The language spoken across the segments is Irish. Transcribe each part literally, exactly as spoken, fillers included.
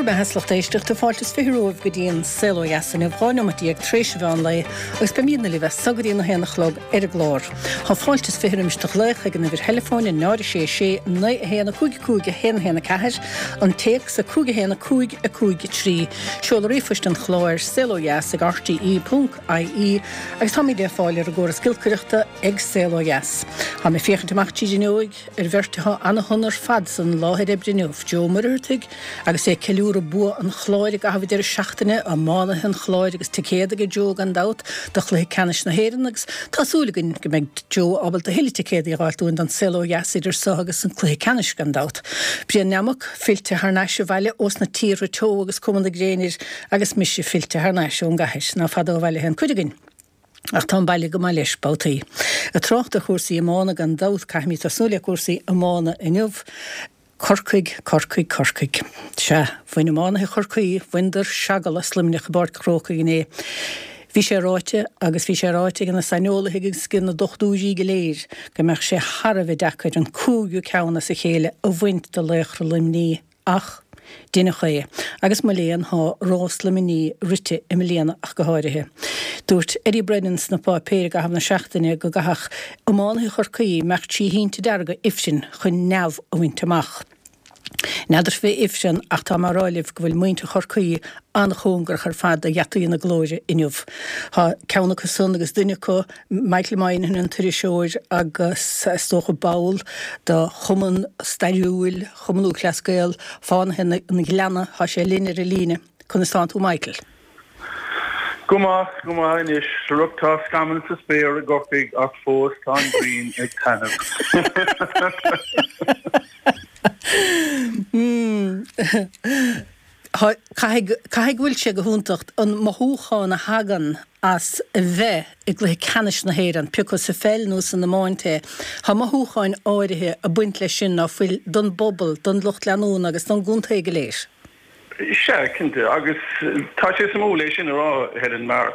Go maith lucht éisteachta fáilte is fiche romhaibh go dtí an Saol Ó Dheas inniu dhá neomat déag tar éis an mheán lae agus beimidne libh as so go dtí a haon a chlog ar an gclár. Tá fáilte is fiche roimis do ghlaoch ag an uimhir theileafóin a náid sé sé naoi a haon a cúig cúig a haon haon a ceathair an téacs a cúig a haon a cúig a cúig trí seoladh ríomhphoist an chláir saol ó dheas ag RTE ponc IE agus táimid le fáil ar an gcóras giolcaireachta ag Saol Ó Dheas. Tá mé féachaint amach tríd an fhuinneog ar bheirt atá ana-shona ar fad san láthair oibre inniu, Joe Ó Muircheartaigh agus é ag ceiliúradh bua an Chláir i gcaitheamh deireadh seachtaine iománaithe an Chláir agus ticéad aige Joe gan dabht do chluiche ceannais na hÉireann agus tá súil againn go mbeidh Joe ábalta tuilleadh ticéadaí a fháil dúinn don Saol Ó Dheas idir seo agus an cluiche ceannais gan dabht. Brian Nammock fillte thar n-ais abhaile ós na tíortha teo agus cuma na gréine air agus mise fillte thar n-ais ón gcathair ná fada ó bhaile an chuid againn. Ach tá an baile go maith leis babhtaí. Ag trácht ar chúrsaí iomána gan dabht caithfimid tosnú le cúrsaí iomána inniu. Corcaigh, Corcaigh, Corcaigh. Sea, bhain iománaithe Chorcaí, bhaineadar seagal as Luimneach i bPáirc an Chrócaigh inné. Bhí sé ráite agus bhí sé ráite ag na saineolaithe agus ag na dochtúirí go léir go mbeadh sé thar a bheith deacair an cúigiú ceann as a chéile a bhaint de laochra Luimní ach deineadh é agus mo léan tá rás Luimní rite i mbliana ach go háirithe. Dúirt Eddie Brennan sna páipéir i gcaitheamh na seachtaine go gcaithfeadh iománaithe Chorcaí imeacht trí thinte dearga ifrinn chun neamh a bhaint amach. N'fheadar fé ifreann ach tá mé ag rá libh go bhfuil muintir Chorcaí an-chóngarach ar fad do gheataí na glóire inniu. Tá ceann acu san agus duine acu, Michael Moynihan an t-iriseoir agus is dócha ball de chumann stairiúil Chumann Lúthchleas Gael, Fánaithe an Ghleanna, tá sé linn ar an líne. Conas tánn tú Michael? Go maith go maith anois rug tá scamaill sa spéir i gCorcaigh ach fós tá an ghrian ag taitneamh. Mm. Caithfidh go bhfuil sé go hiontach an mothúchán a thagann as a bheith i gcluiche ceannais na hÉireann, pé acu sa pheil nó san iomáint é. Tá mothúcháin áirithe ag baint leis sin ná fuil don bpobal, don lucht leanúna agus don gcontae go léir. Sea, cinnte, agus tá sé suimiúil é sin a rá, Helen, mar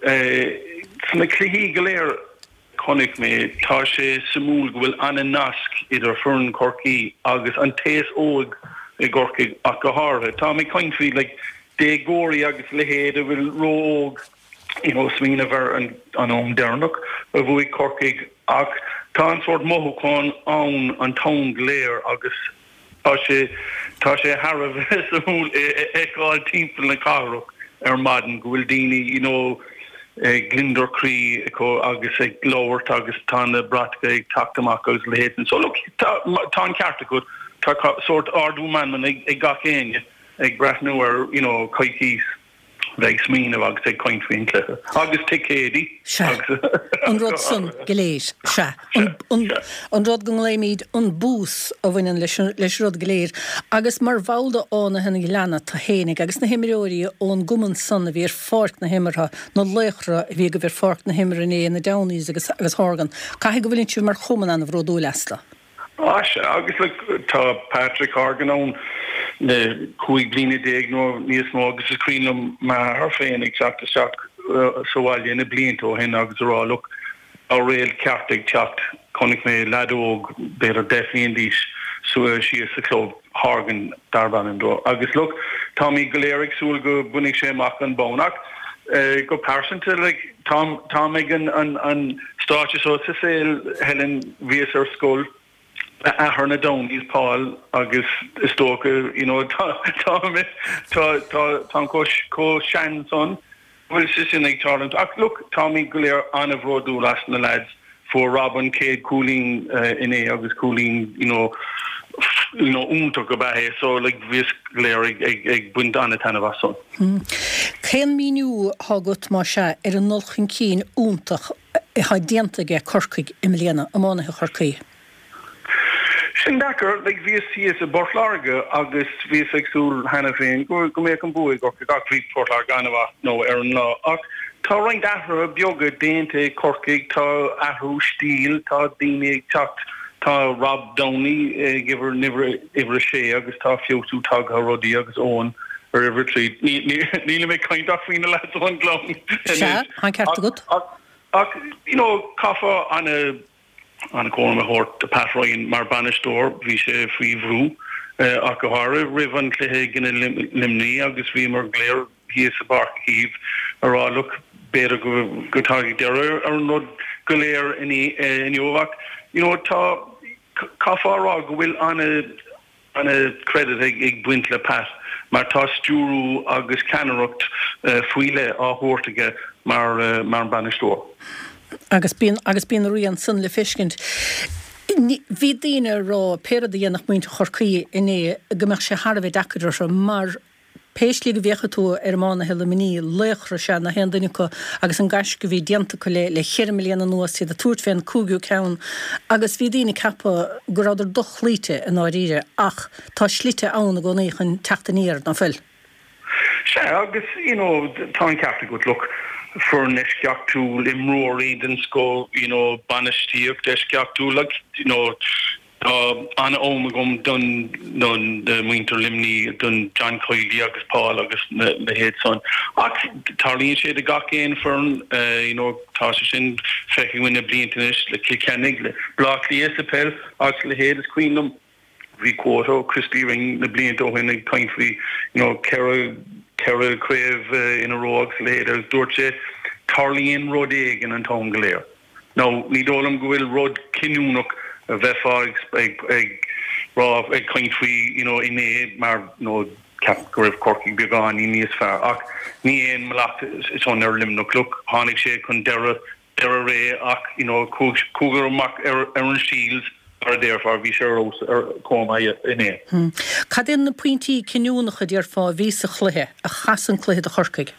sna cluichí go léir chonaic mé, tá sé suimiúil go bhfuil an-nasc idir foireann Chorcaí agus an t-aos óg i gCorcaigh ach go háirithe. Tá mé ag caint faoi like, déagóirí agus leithéid a bhfuil ró-óg you know, smaoineamh ar an, an am deireanach a bhuaigh Corcaigh ach tá an sórt mothúchán ann an t-am go léir agus tá sé tá sé thar a bheith suimiúil a fheiceáil timpeall na cathrach ar maidin go bhfuil daoine you know, gliondar croí acu agus ag labhairt agus tá na bratacha ag teacht amach agus leithéid. So look, tá, tá an ceart acu tá sórt ardú meanman ag, ag gach éinne ag breathnú ar you know, coicís bheith smaoineamh agus ag caint faoin cluiche agus ticéidí. Sea, an rud san go léir, sea, an rud go nglaoimid an bús a bhaineann leis leis rud go léir, agus mar bhall de Fhánaithe an Ghleanna tú fhéinig agus na himreoirí ón gcumann san a bhí ar pháirc na himeartha, na laochra a bhí agaibh ar pháirc na himeartha inné, na Downies agus agus Horgan, caithfidh go bhfuileann sibh mar chumann an-bhródúil astu. Á sea, agus like, tá Patrick Horgan ann le cúig bliana déag nó níos mó agus is cuimhin liom m'athair féin ag teacht isteach sa bhaile na blianta ó shin agus a rá look tá réalt ceart ag teacht chonaic mé leaid óg b'fhéidir deich mbliana d'aois síos sa chlub Horgan darb ainm dó agus look táimid go léir ag súil go mbainfidh sé amach an bonn ach go pearsanta like tá tá ag an an an stáitse seo sa saol Helen bhíos ar scoil le athair na Downies Paul agus is dócha you know tá tá tá tá tá chomh sean san bhfuil sé sin ag tarlúint ach look táimid go léir an-bhródúil as na lads fuair Rob an chéad cúilín inné agus cúilín you know you know iontach go b'é so like bhíos go léir ag ag ag baint an-taitneamh as san. Cén míniú atá agat má sea ar an dul chun cinn iontach atá déanta aige Corcaigh i mbliana, iománaithe Chorcaí? Sin deacair, like bhíos thíos i bPort Láirge agus bhíos ag súil cheana féin go go mbeadh an bua ag Corcaigh ach bhí Port Láirge an-mhaith nó ar an lá ach tá roinnt athruithe beaga déanta ag Corcaigh, tá athrú stíl, tá daoine ag teacht, tá Rob Downey ag uimhir uimhir uimhir a sé agus tá feabhsú tagtha ar rudaí agus Owen ar uimhir trí. Nílim ag caint ach faoi na lads ón Ghleann. Sea, tá an ceart agat. Ach ach you know caithfear an an cúram a thabhairt do Pat Ryan mar bainisteoir, bhí sé faoi bhrú ach go háirithe roimh an cluiche i gcoinne Luimnigh agus bhíomar go léir thíos i bPáirc Uí Chaoimh a rá look b'fhéidir go go dtagann deireadh ar an rud go léir inniu ach you know tá caithfear a rá go bhfuil ana ana credit ag ag baint le Pat mar tá stiúrú agus ceannaireacht faoi leith á thabhairt aige mar mar an bainisteoir. Agus bíonn agus bíonn a rian san le feiscint. Bhí daoine ag rá pé rud a dhéanfadh muintir Chorcaí inné go mbeadh sé thar a bheith deacair orthu mar pé slí go bhféachfaidh tú ar iománaithe Luimnigh, laochra is ea gach aon duine acu agus an gaisce a bhí déanta acu le le cheithre mbliana anuas, iad ag tabhairt fén cúigiú ceann agus bhí daoine ag ceapadh go rabhadar dochloíte i ndáiríre ach tá slite ann i gcónaí chun teacht aniar, ná fuil? Sea, agus you know tá an ceart agat, look, foireann eisceachtúil, imreoirí den scoth, you know bainistíocht eisceachtúil, like you know tá an-fhonn agam don don muintir Luimnigh, don John Kiely agus Paul agus na leithéid san. Ach tarlaíonn sé do gach aon foireann, you know tá sé sin feicthe againn le blianta anois le Cill Chainnigh, le Bleá Cliath sa peil agus a leithéid. Is cuimhin liom bhí quote ó Christy Ring na blianta ó shin ag caint faoi you know ceithre ceithre craobh in a row agus a leithéid agus dúirt sé tarlaíonn rud éigin an t-am go léir. Now ní dóigh liom go bhfuil rud cinniúnach a bheifeá ag ag ag rá ag caint faoi you know inné mar you know ceapaim go raibh Corcaigh beagáinín níos fearr ach ní aon mhallacht san ar Luimneach. Look tháinig sé chun deireadh deireadh ré ach you know chuadar amach ar ar an Shields mar a déarfá bhí sé ar fheabhas ar chomh maith inné. Cad iad na pointí cinniúnacha déarfá a bhí sa chluiche a chas an cluiche do Chorcaigh?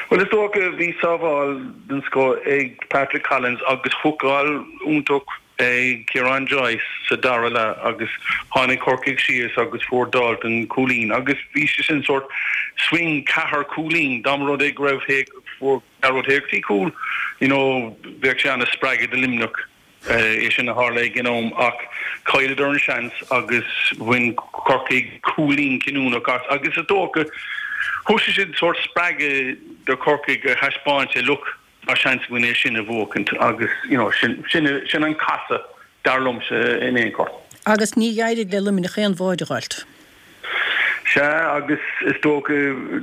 Bhuel is dócha bhí sábháil den scoth ag Patrick Collins agus hookáil iontach ag Ciarán Joyce sa dara leath agus tháinig Corcaigh síos agus fuair Dalton cúilín agus bhí sé sin sórt swing ceathair cúilín dá mba rud é go raibh fuair Gearóid Hegarty cúl you know bheadh sé ana spreagadh do Luimneach é sin a tharla ag an am ach chailleadar an seans agus bhain Corcaigh cúilín cinniúnach as agus is dócha thug sé sin sórt spreagadh do Chorcaigh a thaispeáint sé look tá seans againn é sin a bhuachaint agus you know sin sin sin an casadh dar liomsa in aon chor. Agus ní d'éirigh le Luimneach aon bháide a dh'fháilt. Sea agus is dócha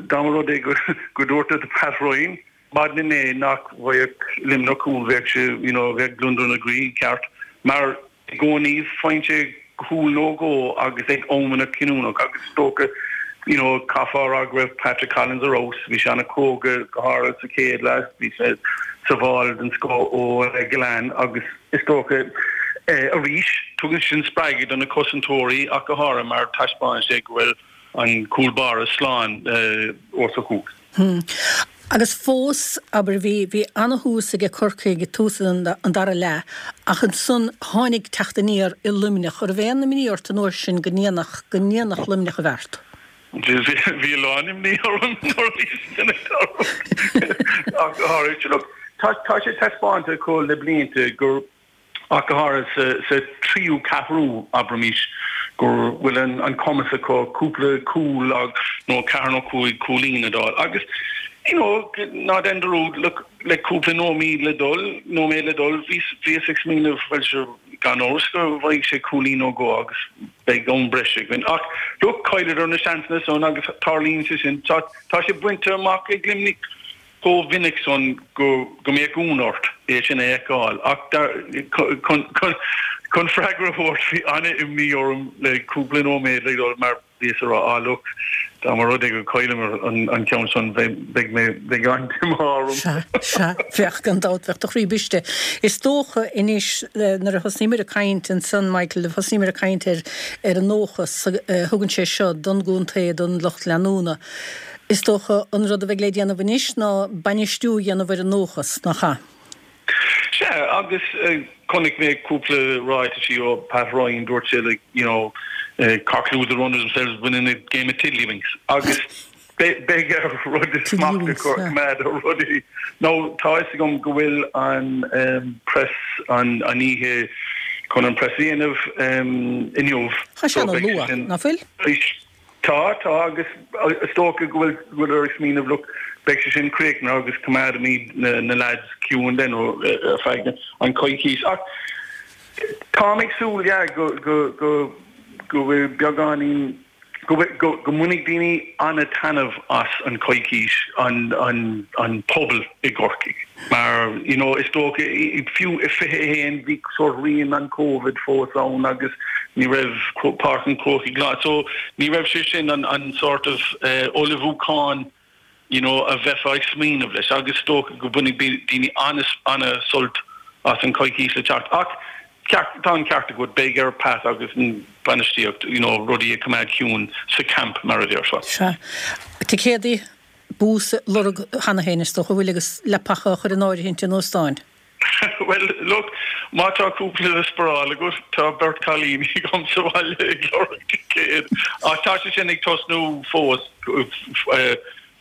dá mba rud é go go dúirt Pat Ryan maidin inné nach bhfaigheadh Luimneach cúl bheadh sé you know bheadh gliondar ina gcroí ceart mar i gcónaí faigheann sé cúl nó dhó agus ag amanna cinniúnach agus is dócha you know caithfear a rá go raibh Patrick Collins ar fheabhas bhí sé an-chróga go háirithe sa chéad leath bhí sé sábháil den scoth ó Gillane agus is dócha arís tugann sin spreagadh do na cosantóirí ach go háirithe mar taispeánann sé go bhfuil an cúl báire slán os a chúl. Agus fós, abair, bhí bhí ana-thús aige Corcaigh ag tús an an dara leath ach ansan tháinig teacht aniar i Luimneach. An raibh aon imní ort an uair sin go ndéanfadh go ndéanfadh Luimneach an bheart? Bhí a lán imní orm nuair a bhí sin ag tarlú ach go háirithe. Look, tá tá sé taispeánta acu le blianta gur ach go háirithe sa tríú ceathrú, abraimis, go bhfuil an cumas acu cúpla cúl nó ceathair nó cúig cúilín a d'fháil. Agus, you know, ná déan dearúd, look, le cúpla nóiméad le dul, nóiméad le dul, bhíos ag smaoineamh, bhuel, sure, gan amhras go bhfaighidh sé cúilín nó dhó agus beidh am breise againn. Ach, look, chailleadar na seansanna san agus tarlaíonn sé sin. Tá sé bainte amach ag Luimneach. chomh minic san go mbeadh ionadh ort é sin a fheiceáil. Ach chun freagra a thabhairt, bhí an-imní orm le cúpla nóiméad le dul mar bhíos ag rá, ah look, dá mba rud é go gcailleamar an ceann san beidh mé, beidh an-díomá orm. Sea, sea, bheadh, gan dabht, bheadh do chroí briste. Is dócha anois nuair a thosnaíomar ag caint ansan, Michael, thosnaíomar ag caint ar ar an ndóchas a thugann sé seo don gcontae, don lucht leanúna. Is dócha an rud a bheidh le déanamh anois ná bainistiú a dhéanamh ar an ndóchas, nach ea? Sea, agus chonaic mé cúpla ráitisí ó Pat Ryan, dúirt sé like, you know, Cork lose a run themselves winning a game of tiddlywinks. Agus beidh ar rud smacht a chur coimeád ar rudaí. Now, tá fhios agam go bhfuil an press an oíche chun an press a dhéanamh inniu. Tá sé ana-luath, ná fuil? Tá, tá, agus is dócha go bhfuil go bhfuil ag smaoineamh, look, beidh sé sin críochnaithe agus coimeádfaimid na na lads ciúin then ar feadh an coicís. Ach táim ag súil, yeah, go go go go bhfuil beagáinín go go go mbainfidh daoine an-taitneamh as an coicís an an an pobal i gCorcaigh. Mar you know is dócha fiú i fiche a haon bhí sórt rian an Covid fós ann agus ní raibh Páirc an Chrócaigh lán. So ní raibh sé sin an an sort of uh, ullmhúchán you know a bheifeá ag smaoineamh leis agus is dócha go mbainfidh daoine an-sult as an coicís le teacht. Ach tá an ceart agat beidh ar Pat agus an bainistíocht you know, rudaí a choimeád ciúin sa camp mar a déarfá. Sea. Ticéadaí bús lorg cheana féin is dócha bhfuil agus leapacha a chur in áirithint in óstáin. Well, look, má tá cúpla le sparáil agat tá beirt cailíní agam sa bhaile ag lorg ticéad. Ach tá sé sin ag tosnú fós eh,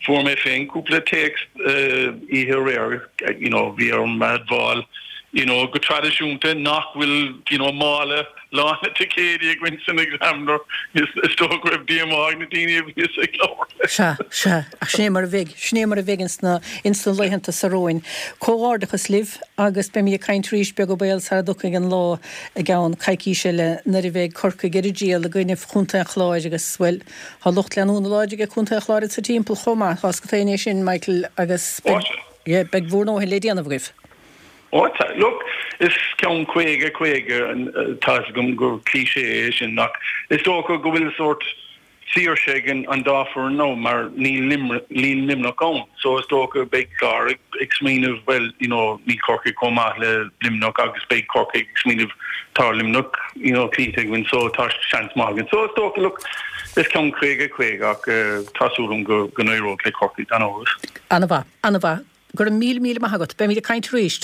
fuair mé féin cúpla téacs eh, oíche aréir, you know, bhí orm a admháil you know, go traidisiúnta nach bhfuil you know, mála lán le ticéidí againn san Examiner is is dócha go raibh díomá ar na daoine a bhí ag labhairt. Sea, sea, ach sin é mar a bheidh, sin é mar a bheidh insna insna laethanta seo romhainn. Comhghairdeachas libh agus beimid ag caint arís beag nó béal sara dtiocfaidh an lá i gceann coicíse eile nuair a bheidh Corcaigh ar a dtriall i gcoinne Chontae an Chláir agus bhuel, tá lucht leanúna láidir ag Contae an Chláir sa timpeall chomh maith, tá 's agat é sin Michael agus beidh, yeah, beidh bhur ndóthain le déanamh agaibh. Ó tá look is ceann caoga caoga tá agam gur cliché é sin ach is dócha go bhfuil sórt saoirse ag an dá fhoireann nó mar níl níl Luimneach ann so is dócha beidh Clár ag, ag smaoineamh well you know níl Corcaigh chomh maith le Luimneach agus beidh Corcaigh ag smaoineamh tá Luimneach you know cloíte againn so tá seans maith againn so is dócha look is ceann caoga caoga ach uh, tá súil agam go go n-éireoidh le Corcaigh gan amhras. An-mhaith, an-mhaith, go raibh míle míle maith agat, beimid ag caint arís.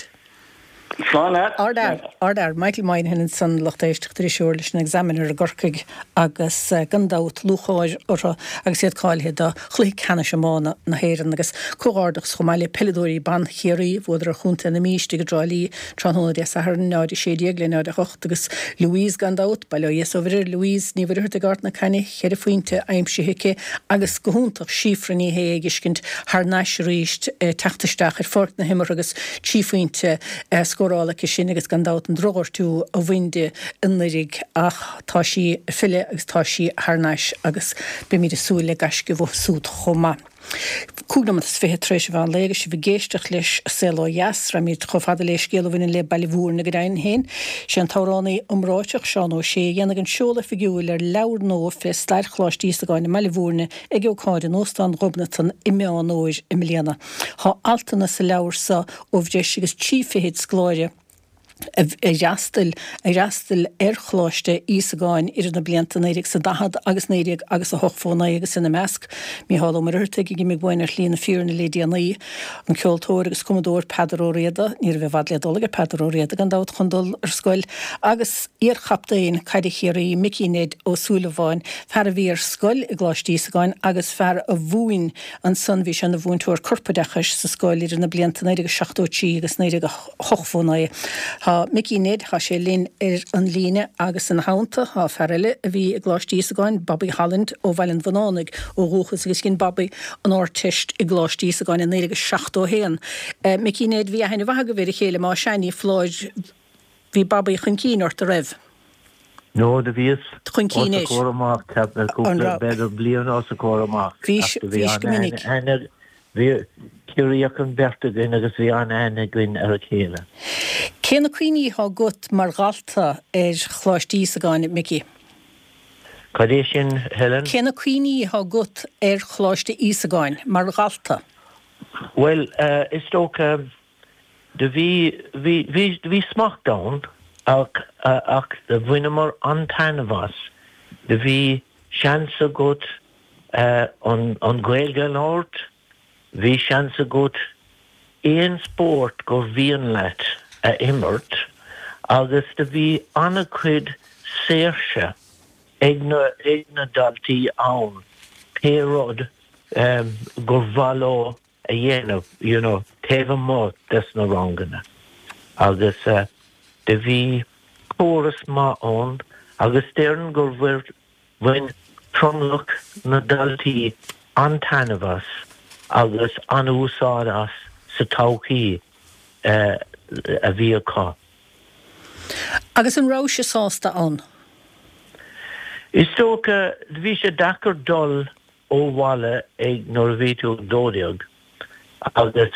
Slán leat. Ardfhear, ardfhear, Michael Moynihan ansan lucht éisteachta iriseoir leis an Examiner i gCorcaigh agus eh, gan dabht lúcháir orthu agus iad cáilithe do chluiche ceannais iomána na hÉireann agus comhghairdeachas chomh maith le peileadóirí ban Chiarraí bhuadar ar Chontae na Mí istigh i dTrá Lí tráthnóna Dé Sathairn náid sé déag le náid a hocht agus Louise gan dabht bail ó Dhia is ó Mhuire Louise Ní Mhuircheartaigh ag Ard na Caithne ceithre phointe aimsithe aici agus go hiontach Síofra Ní Shé ag fheiscint thar n-ais arís eh, teacht isteach ar pháirc na himeartha agus trí phointe eh, scóráilte aici sin agus gan dabht an drochghortú a bhain di anuraidh ach tá sí ag filleadh agus tá sí thar n-ais agus beimid ag súil le gaisce uathu siúd chomh maith. Cúig nóiméad is fiche tar éis an mheán lae agus sibh ag éisteacht leis Saol Ó Dheas, rachaimid chomh fada le scéal a bhaineann le Baile Mhúirne go deimhin féin. Sé an t-amhránaí iomráiteach Seán Ó Sé a dhéanfaidh an seoladh oifigiúil ar leabhar nua fé stair Choláiste Íosagáin i mBaile Mhúirne ag ócáid in Óstán Ghobnatan i Meán Fhómhair i mbliana. Tá altanna sa leabhar seo ó bhreis agus trí fichid scoláire a fhreastail a fhreastail ar Choláiste Íosagáin idir na blianta naoi déag is a daichead agus naoi déag agus a hochtó naoi agus ina measc Mícheál Ó Muircheartaigh a d'imigh uainn ar shlí na fírinne le déanaí an ceoltóir agus cumadóir Peadar Ó Riada ní raibh i bhfad le dul ag Peadar Ó Riada gan dabht chun dul ar scoil agus iarchaptaen caide Chiarraí Mickey Ned Ó Súilleabháin fear a bhí ar scoil i gColáiste Íosagáin agus fear a mhúin ansan bhí sé ina mhúinteoir corpoideachais sa scoil idir na blianta naoi déag seachtó trí agus naoi déag hochtó naoi. Tá Mickey Ned tá sé linn ar an líne agus ina theannta tá fear eile a bhí i gColáiste Íosagáin Bobby Holland ó Bhaile an Bhunánaigh ó dhúchas agus dhein Bobby an Ardteist i gColáiste Íosagáin i naoi déag seachtó haon. Uh, Mickey Ned bhí aithne mhaith agaibh ar a chéile má sea ní foláir bhí Bobby chun cinn ort an raibh. No do bhíos Chun cinn os a chomhair amach cúpla b'fhéidir bliain os a chomhair amach. Bhís bhís go minic. Bhí Ciarraíoch an bheirt againn agus bhí an-aithne againn ar a chéile. Cé na cuimhní atá agat mar dhalta ar Choláiste Íosagáin Mickey? Cad é sin Helen? Cé na cuimhní atá agat ar Choláiste Íosagáin mar dhalta? Well uh, is dócha do bhí bhí bhí bhí smacht ann ach uh, ach bhaineamar an-taitneamh as. Do bhí seans agat uh, an, an Ghaeilge a labhairt, bhí seans agat aon spórt gur mhian leat a imirt agus do bhí an-chuid saoirse ag na ag na daltaí ann pé rud um, gur mhaith leo a dhéanamh you know, taobh amuigh des na ranganna. Agus uh, do bhí córas maith ann agus déarfainn gur bhain tromlach na daltaí an-taitneamh as agus an-úsáid as sa todhchaí uh, a bhí acu. Agus an raibh sibh sásta ann? Is dócha bhí sé deacair dul ó bhaile ag nuair a bhí tú dó déag agus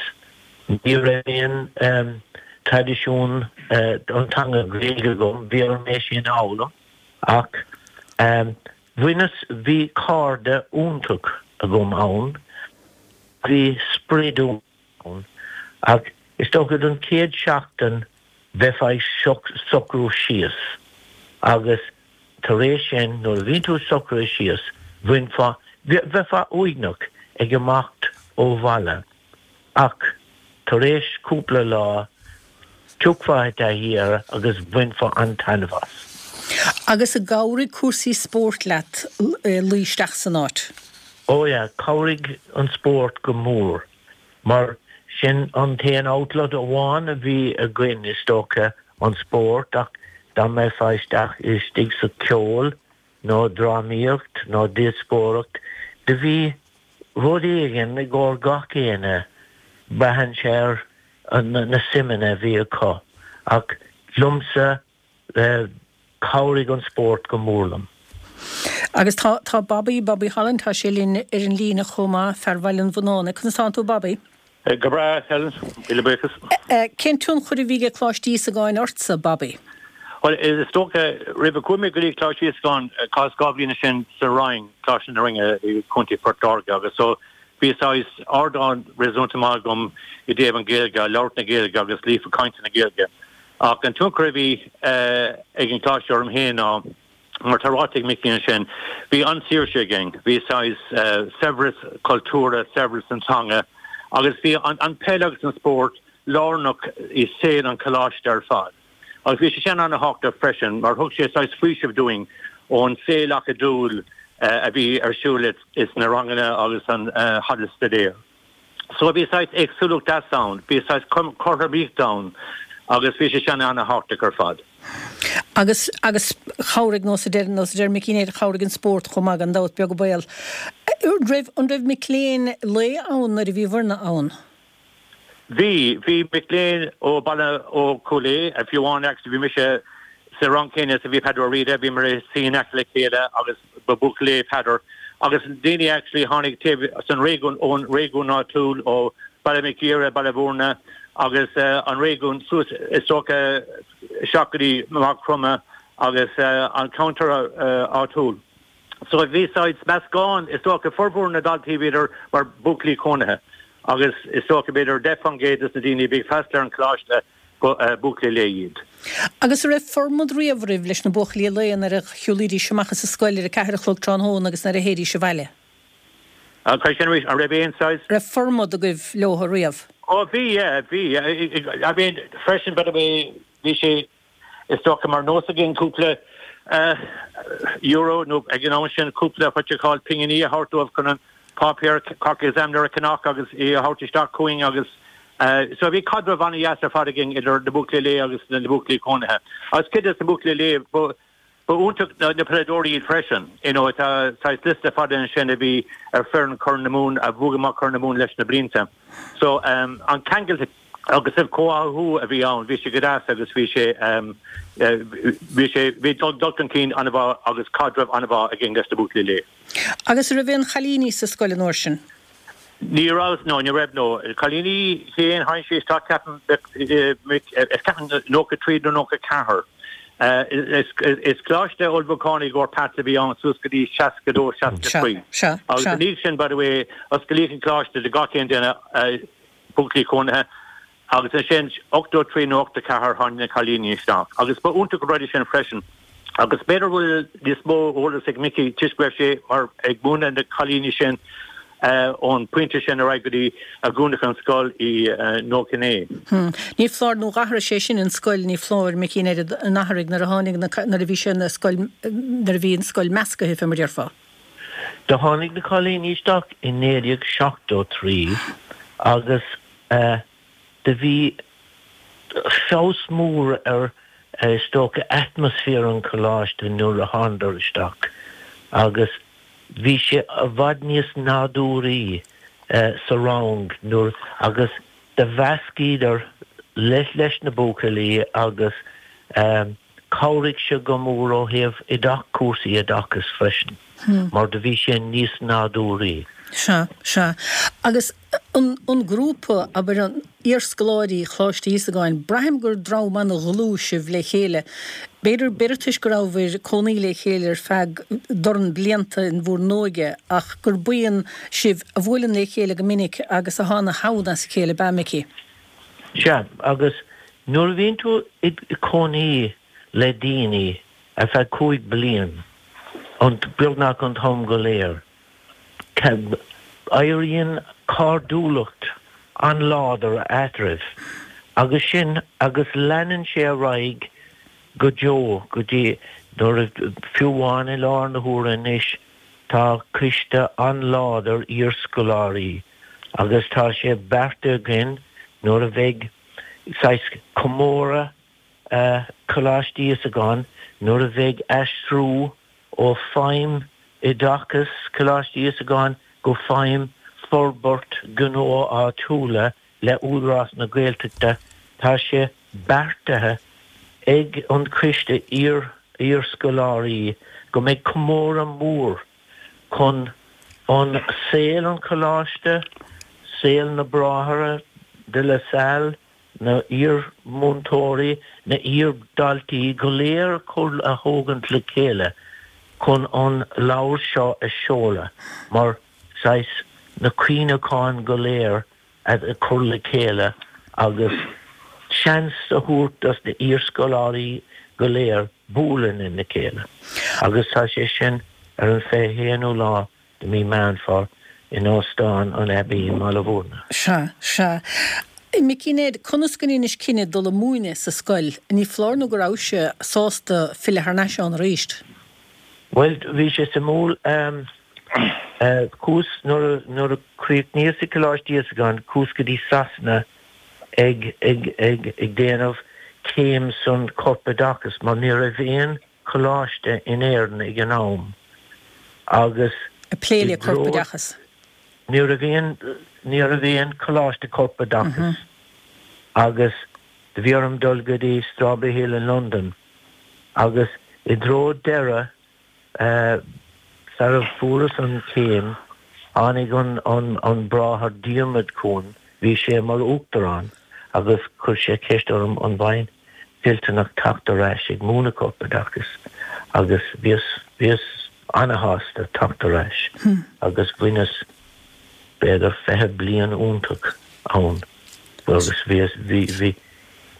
ní raibh aon um, traidisiún uh, an teanga Gaeilge agam bhí orm é sin a fhoghlaim ach um, bhaineas bhí cairde iontach agam ann bhí sprid ann ach is dócha don chéad seachtain bheifeá socrú síos agus tar éis sin nuair a bhíonn tú socrú síos bhainfeá bheifeá uaigneach ag imeacht ó bhaile ach tar éis cúpla lá thiocfá i dtaithí air agus bhainfeá an-taitneamh as. Agus ar chabhraigh cúrsaí spóirt leat luí isteach san áit. Ó yeah, chabhraigh an spórt go mór mar sin an t-aon outlet amháin a bhí againn is dócha an spórt ach dá mbeifeá isteach istigh sa ceol nó drámaíocht nó díospóireacht do bhí rud éigin i gcomhair gach éinne braitheann sé ar na suimeanna a bhí acu ach liomsa chabhraigh an spórt go mór liom. Agus tá tá Bobby Bobby Holland tá sé linn ar an líne chomh maith fear Bhaile an Bhunáin, conas tánn tú Bobby? Go breá Helen míle buíochas. Cén tionchar a bhí ag Coláiste Íosagáin ortsa Bobby? Well is dócha roimh a chuaigh mé go dtí Coláiste Íosagáin chaitheas dhá bhliain sin sa Rinn Coláiste na Rinne i Contae Phort Láirge agus so bhí saghas ardán réasúnta maith agam i dtaobh an Ghaeilge, labhairt na Gaeilge agus líofa cainte na Gaeilge. Ach an tionchar a bhí ag an choláiste orm féin ná mar tá ráite ag Mickey ansin, bhí an-saoirse againn, bhí saghas saibhreas cultúrtha, saibhreas an teanga, agus bhí an, an peil agus an spórt lárnach i saol an choláiste ar fad. Agus bhí sé sin an-tábhachtach freisin, mar thug sé saghas faoiseamh dúinn ón saol acadúil a bhí ar siúl is na ranganna agus an halla staidéir. So bhí saghas éagsúlacht deas ann, bhí saghas cothromaíocht ann agus bhí sé sin an-tábhachtach ar fad. Agus agus chabhraigh nós a deir nós a deir Mickey Ned chabhraigh an spórt chomh maith gan dabht beag baol. Raibh an raibh mic léinn lae ann nuair a bhí bhur-na ann? Bhí bhí mic léinn ó baile ó Chúil Aodha a fiú amháin actually bhí mise sa rang céanna is a bhí Peadar Ó Riada bhí mar suí in aice le chéile agus ba buachaill lae Peadar agus daoine actually tháinig taobh san réigiún ón réigiún áitiúil ó Baile Mhic Íre, Baile Bhúirne agus uh, an réigiún suas is dócha isteach go dtí Maigh Chromtha agus uh, an ceantar uh, áitiúil. So bhí saghas meascán is dócha formhór na daltaí bhíodar mar buachaillí cónaithe. agus is dócha b'fhéidir deich faoin gcéad des na daoine bhí ag freastal ar an choláiste buachaillí lae iad. Agus raibh formad riamh agaibh leis na buachaillí lae nuair a shiúlaidís amach as an scoil ar a ceathair a chlog tráthnóna agus nuair a théidís abhaile. An sin an raibh aon saghas? Raibh formad agaibh leo riamh. Ó bhí bhí I mean freisin by the way bhí sé is dócha mar nós againn cúpla uh, euro nó ag an am sin cúpla what you call pinginí a thabhairt dóibh chun an páipéar Cork Examiner a cheannach agus é a thabhairt isteach chugainn agus uh, so bhí caidreamh an-deas ar fad againn idir na buachaillí lae agus na buachaillí cónaithe. Agus cuid des na buachaillí lae ba iontach na peileadóirí iad freisin. You know, tá liosta fada ansin a bhí ar foireann Chorn na Mumhan a bhuaigh amach Corn na Mumhan leis na blianta. So um, an ceangal agus an comhtháthú a bhí ann, bhí sé go deas agus bhí sé um, uh, bhí sé bhí dul chun cinn an-mhaith agus caidreamh an-mhaith againn leis na buachaillí lae. Agus raibh aon chailíní sa scoil an uair sin? Ní raibh no ní raibh no cailíní féin tháinig sé isteach ceapaim nócha trí nó nócha ceathair. Uh, is is coláiste ullmhúcháin i gcomhair PATs a bhí ann suas go dtí seasca dó seasca trí. Agus ní sin by the way osclaíodh an coláiste do gach aon duine buachaillí cónaithe agus ansin ochtó trí nó ochtó ceathair tháinig na cailíní isteach. Agus ba iontach an rud sin freisin. Agus b'fhéidir bhfuil níos mó eolas ag Mickey toisc go raibh sé mar ag múineadh na cailíní sin ón pointe sin ar aghaidh go dtí a dúnadh an scoil i nócha naoi. Ní foláir nó d'athraigh sé sin an scoil ní foláir Mickey an athraigh nuair a tháinig nuair a bhí sé na scoil nuair a bhí an scoil measctha fé mar déarfá. Do tháinig na cailíní isteach i naoi déag seachtó trí agus do bhí feabhas mór ar is dócha atmaisféar an choláiste nuair a thánadar isteach agus bhí sé i bhfad níos nádúraí sa rang nuair agus do mheascaíodar leis leis na buachaillí agus Chabhraigh sé go mór ó thaobh oideach cúrsaí oideachais freisin mar do bhí sé níos nádúraí. Sea, sea. Agus an an grúpa, abair an iarscoláirí Choláiste Íosagáin, braithim gur dream an-dhlúth sibh le chéile. B'fhéidir, b'fhéidir toisc go rabhabhair ag cónaí le chéile ar feadh dorn blianta in bhur n-óige ach gur buíon sibh a bhuaileann le chéile go minic agus atá ina theann as a chéile, ab ea, Micí? Sea, agus nuair a bhíonn tú i cónaí le daoine ar feadh cúig bliain, an beagnach an t-am go léir, éiríonn cairdiúlacht an-láidir eadraibh agus sin agus leanann sé ar aghaidh go deo go dtí nuair a fiú amháin i láthair na huaire anois tá coiste an-láidir iarscoláirí agus tá sé beartaithe againn nuair a bheidh saghas comóradh Coláiste Íosagáin nuair a bheidh aistriú ó feidhm oideachais Coláiste Íosagáin go feidhm forbairt gnó áitiúla le Údarás na Gaeltachta tá sé beartaithe ag an Coiste Iar-Scoláirí go mbeidh comóradh mór chun an saol an Choláiste, saol na Bráithre de La Salle, na iar-mhúinteoirí, na iar-dhaltaí go léir chur a thógaint le chéile chun an leabhar seo a seoladh mar saghas na cuimhneacháin go léir a chur le chéile agus seans a thabhairt dos na iarscoláirí go léir bualadh lena chéile agus tá sé sin ar an fiche haonú lá de mí Meán Fómhair in Óstán an Abbey i mBaile Bhúirne. Sea, sea. Micí Ned, conas go ndeinis cinneadh dul a múineadh sa scoil? Ní foláir nó go rabhais sásta filleadh thar n-ais ann arís? Bhuel, bhí sé suimiúil. Chuas, nuair a, nuair a chríochnaíos i Coláiste Íosagáin, chuas go dtí Sasana ag, ag, ag, ag déanamh céim san corpoideachas mar ní raibh aon choláiste in Éirinn ag an am agus Ag plé i le dtreo, corpoideachas. ní raibh aon, ní raibh aon choláiste corpoideachais agus do bhí orm dul go dtí Strawberry Hill in Londain agus i dtreo deireadh sara fuaireas an chéim tháinig an, an, an Bráthair Diarmuid chugam, bhí sé mar uachtarán agus chuir sé ceist orm an mbeinn toilteanach teacht ar ais ag múineadh corpoideachais agus bhíos, bhíos ana-shásta teacht ar ais agus bhaineas b'fhéidir fiche bliain iontach ann agus bhíos, bhí, bhí,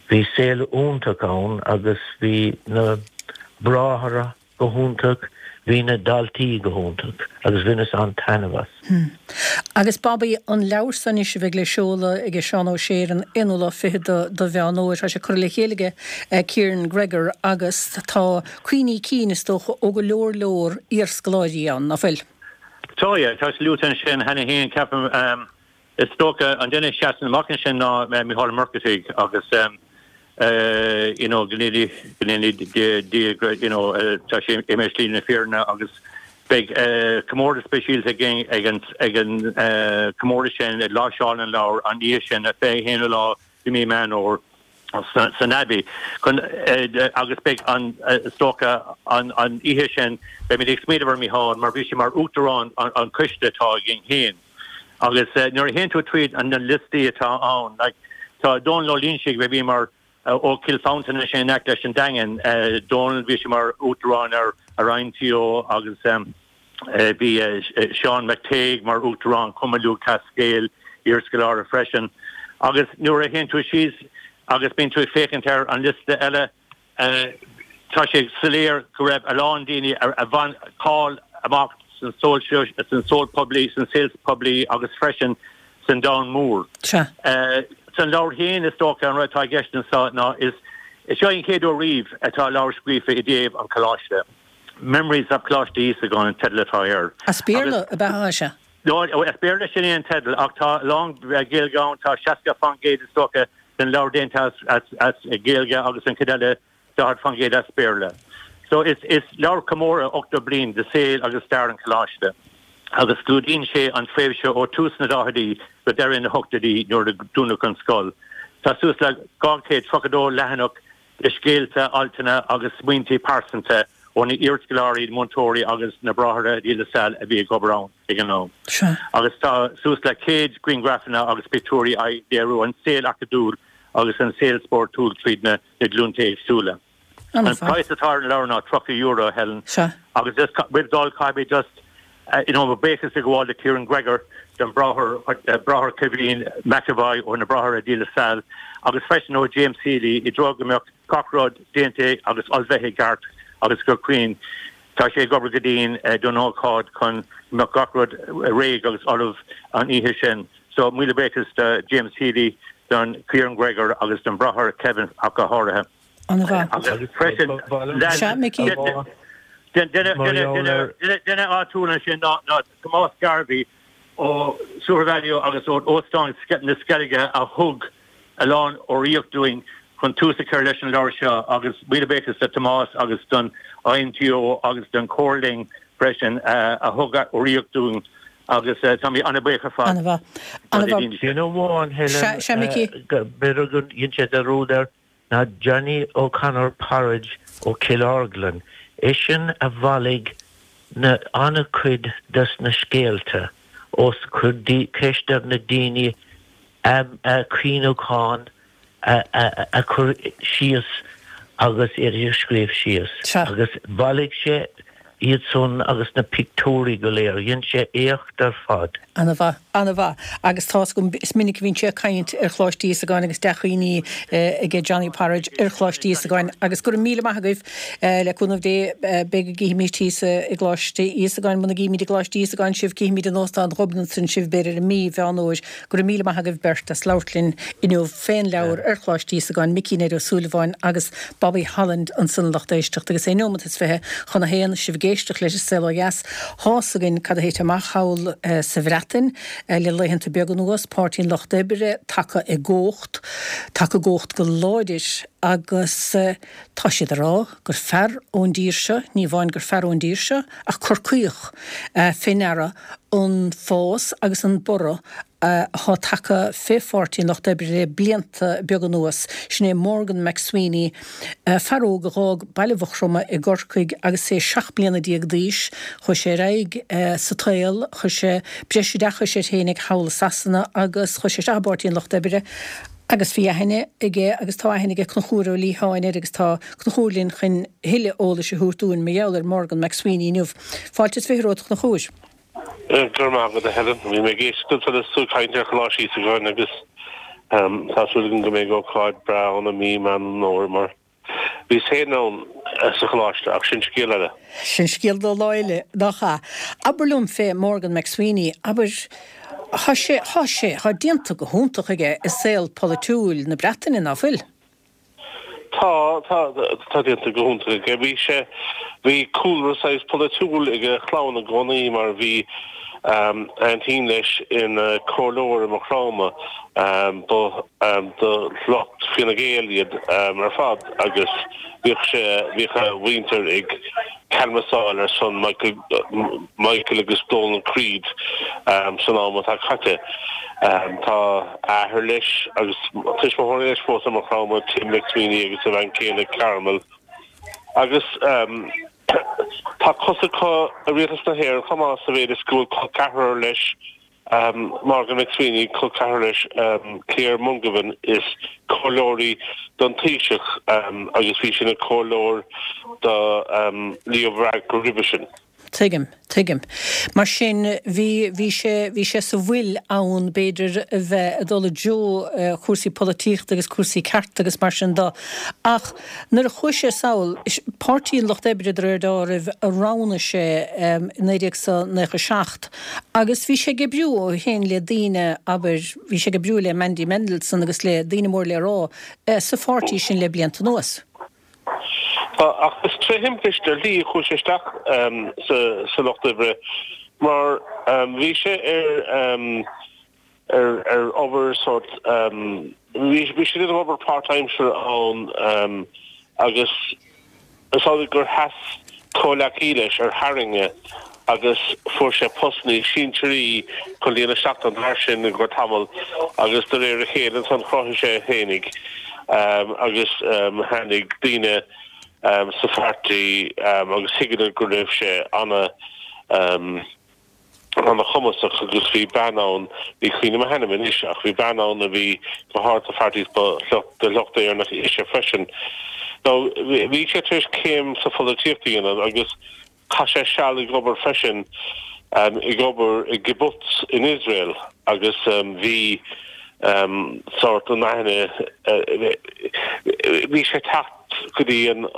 bhí saol iontach ann agus bhí na bráithre go hiontach, bhí na daltaí go hiontach agus bhaineas an-taitneamh as. Agus Bobby, an leabhar seo anois a bheidh le seoladh aige Seán Ó Sé ar an aonú lá fichead de Mheán Fhómhair, tá sé curtha le chéile aige Kieran Gregor agus tá cuimhní cinn, is dócha, ó go leor leor iarscoláirí ann, ná fuil? Tá, yeah, tá sé luaite ansin cheana féin, ceapaim. Is dócha an duine a sheasann amach ansin ná Mícheál Ó Muircheartaigh agus you know go ndéana go ndéana Dia you know tá sé imithe slí na fírinne agus beidh comórtas speisialta againn ag an ag an comóradh sin ag láimhseáil an leabhair an oíche sin an fiche haonú lá de mhí Meán Fhómhair san Abbey chun agus beidh an is dócha an an oíche sin beimid ag smaoineamh ar Mícheál mar bhí sé mar uachtarán an an coiste atá againn féin. Agus nuair a théann tú tríd na liostaí atá ann, like, tá Dónal Ó Loingsigh a bhí mar ó Chill Mhantáin ansin in aice leis an Daingean, Dónal, bhí sé mar uachtarán ar ar INTO agus bhí Seán McTague mar uachtarán Chumann Lúthchleas Gael, iarscoláire freisin. Agus nuair a théann tú síos agus bíonn tú ag féachaint ar an liosta eile, Tá sé soiléir go raibh a lán daoine a bhain cáil amach san saol poiblí, san saol poiblí agus freisin san domhan mór. Sea. San leabhar féin is dócha an rud atá i gceist anseo ná is seo an chéad uair riamh atá leabhar scríofa i dtaobh an Choláiste. Memories of Coláiste Íosagáin an teideal atá air. As Béarla ab ea é? No, as Béarla sin é an teideal ach tá a lán Gaeilge ann, tá seasca faoin gcéad is dócha den leabhar déanta as Gaeilge agus an chuid eile daichead faoin gcéad as Béarla. So is is leabhar comóradh ochtó bliain de saol agus stair an Choláiste agus clúdaíonn sé an tréimhse ó tús na daichidí go deireadh na hochtóidí nuair a dúnadh an scoil. Tá suas le dhá chéad tríocha dó leathanach le scéalta, altanna agus smaointe pearsanta ó na iarscoláirí, múinteoirí agus na Bráithre De La Salle a bhí ag obair ann ag an am. Agus tá suas le céad grianghrafanna agus pictiúirí ag léiriú an saol acadúil agus an saol spórtúil tríd na glúnta éagsúla. An praghas atá ar an leabhar ná tríocha euro, Helen. Agus just roimh dul caithfidh mé just you know, mo bhuíochas a ghabháil do Kieran Gregor, don Bráthair Bráthair Kevin McEvoy ó na Bráithre De La Salle agus freisin ó James Healy i dtreo go mbeadh gach rud déanta agus ullmhaithe i gceart agus go cruinn. Tá sé ag obair go dian don ócáid chun go mbeadh gach rud réidh agus ullamh an oíche sin. So míle buíochas do James Healy, don Kieran Gregor agus don Bráthair Kevin ach go háirithe. An-mhaith. Agus freisin Sea, Mickey. Duine áitiúil ansin ná Tomás Garvey ó SuperValu agus ó Óstán na Sceilge a thug a lán urraíocht dúinn chun tús a chur leis an leabhar seo agus míle buíochas do Tomás agus don IMTO agus don Comhar Linn freisin a thug urraíocht dúinn agus tá mé an-bhuíoch ar fad. An-mhaith. An-mhaith. Duine amháin, Helen, Sea, Mickey. b'fhéidir go dhein sé dearúd air ná Johnny O'Connor Porridge ó Chill Orglan. Eisean a bhailigh na an-chuid des na scéalta os chuir ceist ar na daoine a cuimhneachán a chur síos agus iad a scríobh síos. Agus bhailigh sé iad san agus na pictiúirí go léir. Dhein sé éacht ar fad. Ana-mhaith, ana-mhaith. Agus tá's agam, is minic a bhíonn sé ag caint ar Choláiste Íosagáin agus dea-chuimhní aige Johnny Porridge ar Choláiste Íosagáin. Agus go raibh míle maith agaibh. Le cúnamh Dé, beidh go gcífimid thíos i gColáiste Íosagáin, muna gcífimid i gColáiste Íosagáin sibh, cífimid in Óstán Ghobnatan sibh b'fhéidir i mí Mheán Fhómhair. Go raibh míle maith agaibh beirt as labhairt linn inniu fén leabhar ar Choláiste Íosagáin, Micí Ned Ó Súilleabháin agus Bobby Holland ansan a lucht éisteachta agus é neomat is fiche chun a haon, sibh ag éisteacht leis an Saol Ó Dheas. Tá's againn cad a thit amach thall sa Bhreatain le laethanta beaga anuas, Páirtí an Lucht Oibre tagtha i gcumhacht, tagtha i gcumhacht go láidir agus tá siad ag rá gur fear ón dtír seo, ní amháin gur fear ón dtír seo, ach Corcaíoch, fé ndeara an fás agus an borradh atá tagtha fé Pháirtí an Lucht Oibre le blianta beaga anuas. Sin é Morgan McSweeney, fear óg a dh'fhág Baile Mhuchroma i gCorcaigh agus é seacht mbliana déag d'aois. Chuaigh sé ar aghaidh sa tsaol, chuir sé breis oideachais air féinig thall i Sasana agus chuaigh sé isteach i bPáirtí an Lucht Oibre agus bhí aithne aige agus tá aithne aige Conchúr Ó Liatháin air agus tá Conchúr linn chun thuilleadh eolais a thabhairt dúinn mar gheall ar Morgan McSweeney inniu. Fáilte is fiche romhat a Chonchúir. Go raibh maith agat, a Helen. Bhí mé ag éisteacht ansan is tú ag caint ar Choláiste Íosagáin agus tá súil agam go mbeidh ócáid breá ann i mí Meán Fómhair mar bhíos féin ann sa choláiste ach sin scéal eile. Sin scéal do lá eile, nach ea? Abair liom fé Morgan McSweeney, abair, thá sé, thá sé, thá déanta go hiontach aige i saol polaitiúil na Breataine, ná fuil? Tá, tá, tá déanta go hiontach aige. Bhí sé, bhí cúlra saghas polaitiúil ag a chlann i gcónaí mar bhí aintín leis ina comhairleoir i Maigh Chromtha, ba de shliocht Fine Gael iad ar fad agus bhíodh sé, bhíodh a mhuintir ag canbhasáil ar son Michael, Michael agus Donal Creed san am atá caite. Tá athair leis agus tuismitheoirí leis fós i Maigh Chromtha, Tim McSweeney agus a bhean chéile Carmel. Agus tá cos acu i rialtas na hÉireann chomh maith sa mhéid is go bhfuil col ceathrar leis, Morgan McSweeney, col ceathrar leis, Claire Mungovan, is comhairleoir í don Taoiseach agus bhí sí ina comhairleoir do Leo Varadkar roimhe sin. Tuigim, tuigim. Mar sin, bhí, bhí sé, bhí sé sa bhfuil ann, b'fhéidir, a bheith ag dul i dtreo chúrsaí polaitíochta agus cúrsaí cearta agus mar sin de. Ach nuair a chuaigh sé sall, Páirtí an Lucht Oibre de réir dealraimh a roghnaigh sé i naoi déag nócha a seacht agus bhí sé ag oibriú ó shin le daoine, abair, bhí sé ag oibriú le Mandy Mendelsohn agus le daoine mór le rá sa pháirtí sin le blianta anuas. Tá, ach is tré thimpiste ar shlí a chuaigh sé isteach sa Lucht Oibre mar bhí sé ar ar obair sórt, bhí sé ag déanamh obair páirtaimseartha ann agus is amhlaidh gur sheas comhleacaí leis ar tharraing é agus fuair sé post níos sinsearaí chun líonadh isteach don fhear sin i gcomhair tamall agus de réir a chéile ansan chruthaigh sé é féinig. Agus tháinig daoine sa pháirtí agus thuigeadar go raibh sé ana ana-chumasach agus bhí bean ann, ní cuimhin liom a hainm anois, ach bhí bean ann a bhí go hard sa pháirtí is ba de shliocht Éireannach ise freisin. Now bhí sé tar éis céim sa pholaitíocht a dhéanamh agus chaith sé seal ag obair freisin, ag obair i gkibbutz in Iosrael agus bhí sórt an aithne, bhí sé ag teacht go dtí an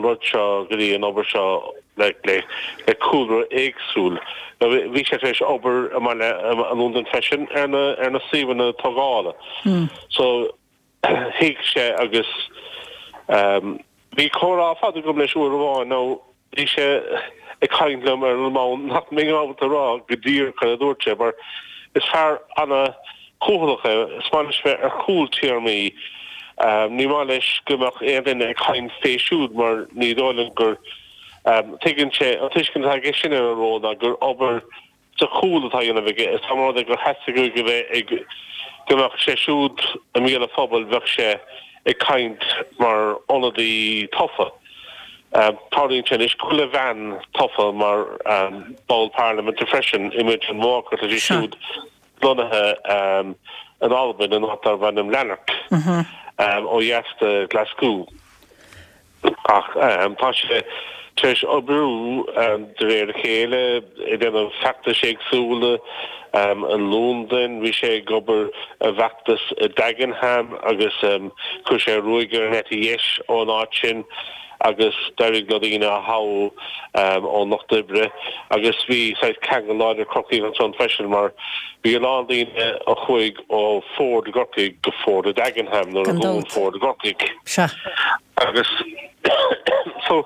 rud seo, go dtí an obair seo le le cúlra éagsúil. Bhí sé tar éis obair i mbaile i Londain freisin ar na ar na suíomhanna tógála. So thuig sé agus bhí comhrá fada agam leis uair amháin nó bhí sé ag caint liom ar an mbonn nach mbeinn ábalta a rá go díreach cad a dúirt sé mar is fear ana chúthaileach é, is maith leis bheith ar chúl téarmaí. Ní maith leis go mbeadh aon duine ag caint fé siúd mar ní dóigh liom gur tuigeann sé, an tuiscint atá aige sin ar an ról ná gur obair sa chúl atá á dhéanamh aige. Is dá mba rud é gur theastaigh uaidh a bheith ag, go mbeadh sé siúd i mbéal an phobail, bheadh sé ag caint mar ionadaí tofa. Tarlaíonn sé anois go bhfuil a bhean tofa mar ball parlaiminte freisin, Imogen Walker, tá sí siúd lonnaithe in Albain, in áit darb ainm Lanark, ó dheas de Ghlaschú. Ach tá sé tar éis oibriú de réir a chéile, ag déanamh feachtais éagsúla i Londain, bhí sé ag obair i bhfeachtas i Dagenham agus chuir sé ruaig ar an eite dheis ón áit sin agus d'éirigh leo daoine a thoghadh ón Lucht Oibre agus bhí saghas ceangal láidir Corcaíoch ansan freisin mar bhí a lán daoine a chuaigh ó Ford i gCorcaigh go Ford i Dagenham nuair a Gan dhún dabht. Ford i gCorcaigh. Sea. Agus so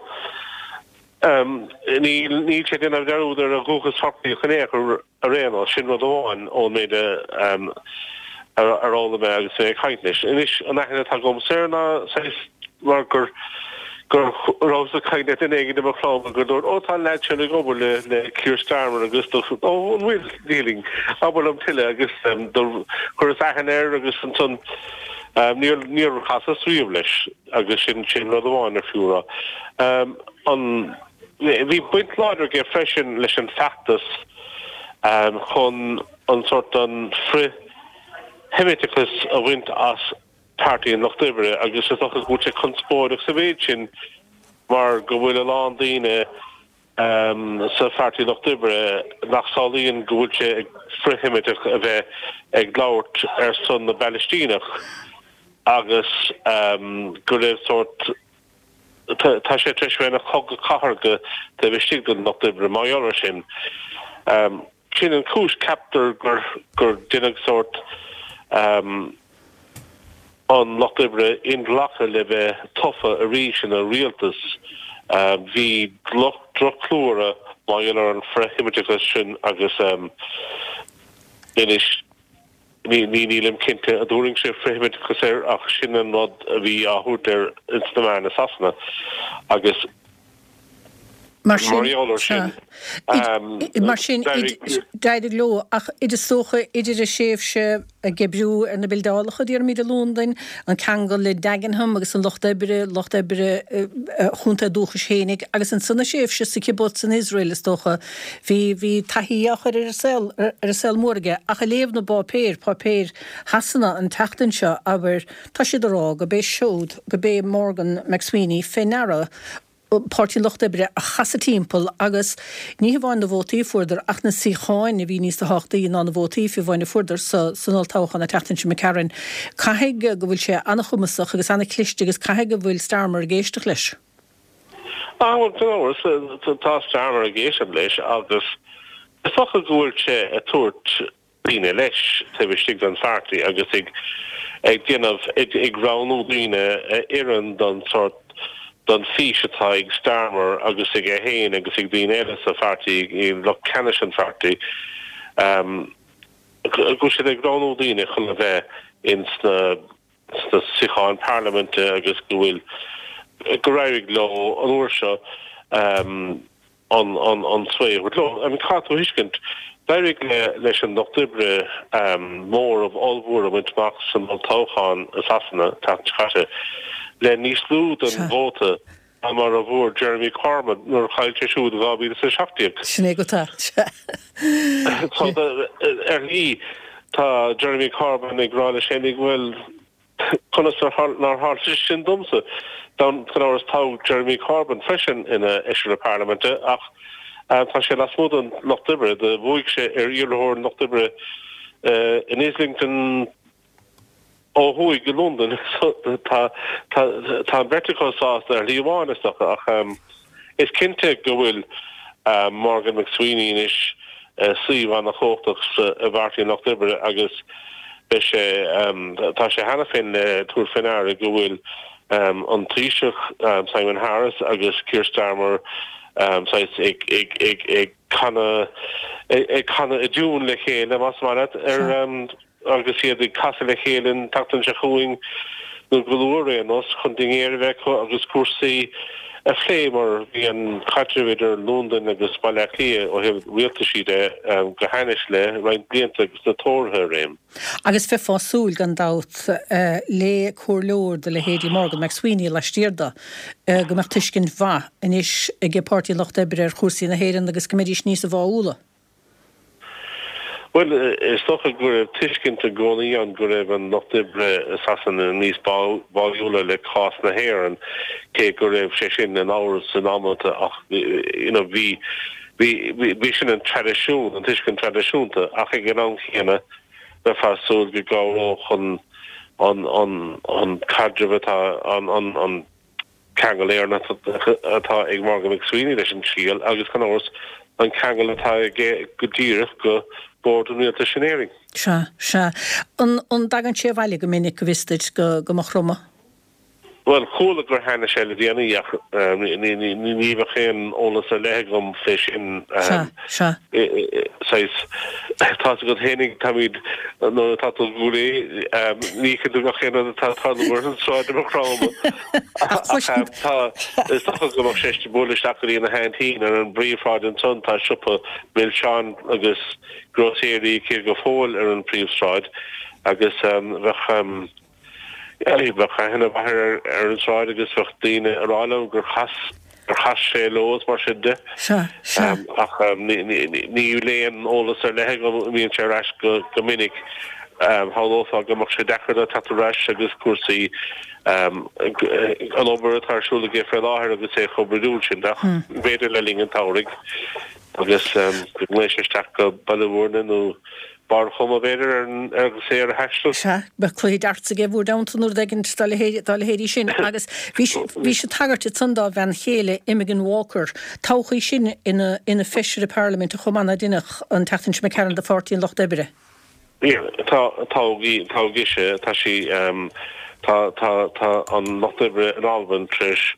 níl níl sé ag déanamh dearúd ar a dhúchas Chorcaíoch in aon chor ar aon nós, sin rud amháin ón méid a ar fhoghlaim mé agus mé ag caint leis. Anois an aithne atá agamsa air ná saghas mar gur go rabhas ag caint le duine éigin i mo chlann gur dúirt, 'Ó, tá an leaid sin ag obair le le Keir Starmer agus do 'Ó, an bhfuil? Níl, abair liom tuilleadh agus do chuireas aithne air agus ansan níor níor chasas riamh leis agus sin sin rud amháin ar fiú a rá. An bhí baint láidir aige freisin leis an feachtas chun an sórt an frith-Sheimiteachas a bhaint as Páirtí an Lucht Oibre agus is dócha go bhfuil sé conspóideach sa mhéid sin mar go bhfuil a lán daoine sa Pháirtí Lucht Oibre nach samhlaíonn go bhfuil sé frith-Sheimiteach a bheith ag labhairt ar son na bPalaistíneach agus go raibh sórt tá sé tar éis bheith ina chogadh cathartha taobh istigh den Lucht Oibre mar gheall air sin. Sin an chúis, ceaptar, gur gur deineadh sórt an Lucht Oibre inghlactha le bheith tofa arís ina rialtas. Bhí droch-chlú orthu mar gheall ar an frith-Sheimiteachas sin agus anois ní nílim cinnte an dtabharfainnse frith-Sheimiteachas air ach sin an rud a bhí á thabhairt air ins na meáin i Sasana agus Mar sin, sea. Mar sin, d'éirigh leo, ach is dócha idir a thréimhse ag oibriú ar na bildeálacha, déarfaimid, i Londain, an ceangal le Dagenham agus an Lucht Oibre, Lucht Oibre a chontae dúchais fhéinig, agus ansan a thréimhse sa kibbutz in Iosrael, is dócha, bhí, bhí taithí á chur ar an saol, ar an saol mór aige. Ach ag léamh na bpáipéir, páipéir Shasana an tseachtain seo, abair, tá siad ag rá go b'é siúd, go b'é Morgan McSweeney fé ndeara Páirtí an Lucht Oibre a chasadh timpeall agus ní hamháin na vótaí a fuaireadar ach na suíocháin a bhí níos tábhachtaí ná na vótaí fiú amháin a fuaireadar san olltoghchán an tseachtain seo imigh tharainn. Caithfidh go bhfuil sé an-chumasach agus an-chliste agus caithfidh go bhfuil Starmer ag éisteacht leis. Ah bhuel, gan amhras, tá Starmer ag éisteacht leis agus is dócha go bhfuil sé ag tabhairt daoine leis taobh istigh den pháirtí agus ag ag déanamh, ag roghnú daoine a oireann don sórt, don fís atá ag Starmer agus aige féin agus ag daoine eile sa pháirtí, ag lucht ceannais an pháirtí, go bhfuil siad ag roghnú daoine chun a bheith ins na sna suíocháin parlaiminte agus go bhfuil, gur éirigh leo an uair seo. an an sway a thabhairt leo. I mean, caithfidh tú a thuiscint, D'éirigh leis an Lucht Oibre móramh ollmhór a bhaint amach san olltoghchán i Sasana an tseachtain seo caite, le níos lú den vóta ná mar a bhfuair Jeremy Corbyn nuair a chaill sé siúd i dhá mhíle is a seacht déag. Sin é go tá. So, ar shlí, tá Jeremy Corbyn ag rá leis féinig, bhuel, Conas nár tharla sé sin domsa? Gan amhras toghadh Jeremy Corbyn freisin ina Fheisire Parlaiminte ach tá sé lasmuigh den Lucht Oibre. Do bhuaigh sé ar iarrthóir an Lucht Oibre in Islington ó thuaidh i Londain. Tá an bheirt acu sásta ar shlí amháin is dócha ach is cinnte go bhfuil Morgan McSweeney anois suíomh ana-chumhachtach i bPáirtí an Lucht Oibre agus Beidh sé, tá sé cheana féin le tabhairt faoi ndeara go bhfuil an Taoiseach Simon Harris agus Keir Starmer saghas ag ag ag ag canadh ag canadh i dtiún le chéile, más maith leat, ar agus iad ag casadh le chéile an tseachtain seo chugainn nó go luath ar aon nós chun dinnéar a bheith acu agus cúrsaí a phlé mar bhí an caidreamh idir Londain agus Baile Átha Cliath ó thaobh rialtaisí de go hainnis le roinnt blianta agus na Tóraithe i réim. Agus bheifeá ag súil, gan dabht, le comhairleoir de leithéidí Morgan McSweeney laistiar de, go mbeadh tuiscint mhaith anois ag Páirtí an Lucht Oibre ar chúrsaí na hÉireann agus go mbeidís níosa bháúla. Bhuel, is dócha go raibh tuiscint i gcónaí ann go raibh an Lucht Oibre i Sasana níos báúla le cás na hÉireann, cé go raibh sé sin in amhras in amanta ach you know bhí bhí bhí sin an traidisiún, an tuiscint traidisiúnta ach ag an am chéanna bheifeá ag súil go gcabhródh an an an an caidreamh atá an an an ceangal Éireannach atá ag Morgan McSweeney leis an scéal agus, gan amhras, an ceangal atá aige go díreach go Bord an Rialtais in Éirinn. Sea, sea. An dtagann sé abhaile go minic, go bhfios duit, go Maigh Chromtha? Bhuel, chuala gur tháinig sé le déanaí ach ní bheadh aon eolas ar leith agam fé sin. Sea, sea. Saghas, tá's agat fhéinig, táimid, nuair atá tú i gCúil Aodha, ní fheiceann tú gach aon rud atá ag tarlú ar an tsráid i Maigh Chromtha. Ach tá, is dócha go mbeadh sé ag bualadh isteach go dtí na haintín ar an bpríomhshráid ansan, tá siopa milseáin agus grósaeirí aici go fóill ar an phríomhshráid agus bheadh, Bheadh aithne mhaith air ar an tsráid agus bheadh daoine ag rá liom gur chas gur chas sé leo is mar sin de. Sea, sea. Ach níl aon eolas ar leith agam an mbíonn sé ar ais go go minic. Shamhlófá go mbeadh sé deacair dó teacht ar ais agus cúrsaí an obair atá ar siúl aige fé láthair agus é chomh brúidiúil sin ach b'fhéidir le linn an tsamhraidh agus go nglaofaidh sé isteach go Baile Mhúirne nó Barr an Choma, b'fhéidir, agus é ar a thaisteal. Sea, bheadh cluiche darts aige bhur dteannta nó rud éigin dá leithéidí sin. Agus bhí bhí sé tagairt ansan dá bhean chéile, Imogen Walker. Toghadh í sin ina ina feisire parlaiminte chomh maith ná deineadh an tseachtain seo imigh tharainn do Pháirtí an Lucht Oibre. Tá, toghadh í, toghadh ise, tá sí, tá, tá, tá an Lucht Oibre in Albain tar éis,